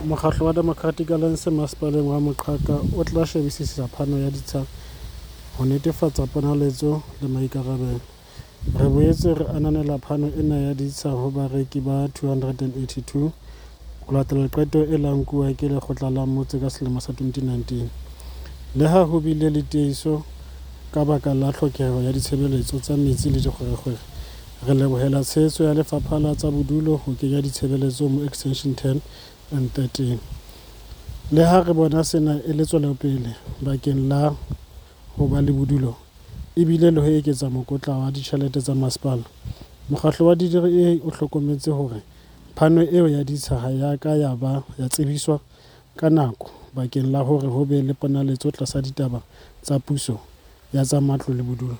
Mokgatlo wa Democratic Alliance Masepaleng wa Moqhaka o tla shebisisa phano ya ditsha ho netefatsa ponaletso le maikarabelo. Re boetse re ananela phano ena ya ditsha ho bareki ba 282 ho latela qeto e la nkuwa ke lekgotla la motse ka selemo sa 2019. Leha ho bile le tiehiso ka baka la tlhokeho ya ditshebeletso tsa metsi le dikgwerekgwere, re lebohela tshehetso ya Lefapha la tsa Bodulo ho kenya ditshebeletso mo Extension 10 and 13. Leha re bona sena e le tswelopele bakeng la ho ba le bodulo ebile le ho eketsa mokotla wa ditjhelete tsa masepala, mokgatlo wa DDA o hlokometse hore phano eo ya ditsha ha ya ka ya ba ya tsebiswa ka nako bakeng la hore ho be le ponaletso tlasa ditaba tsa puso ya tsa matlo le bodulo.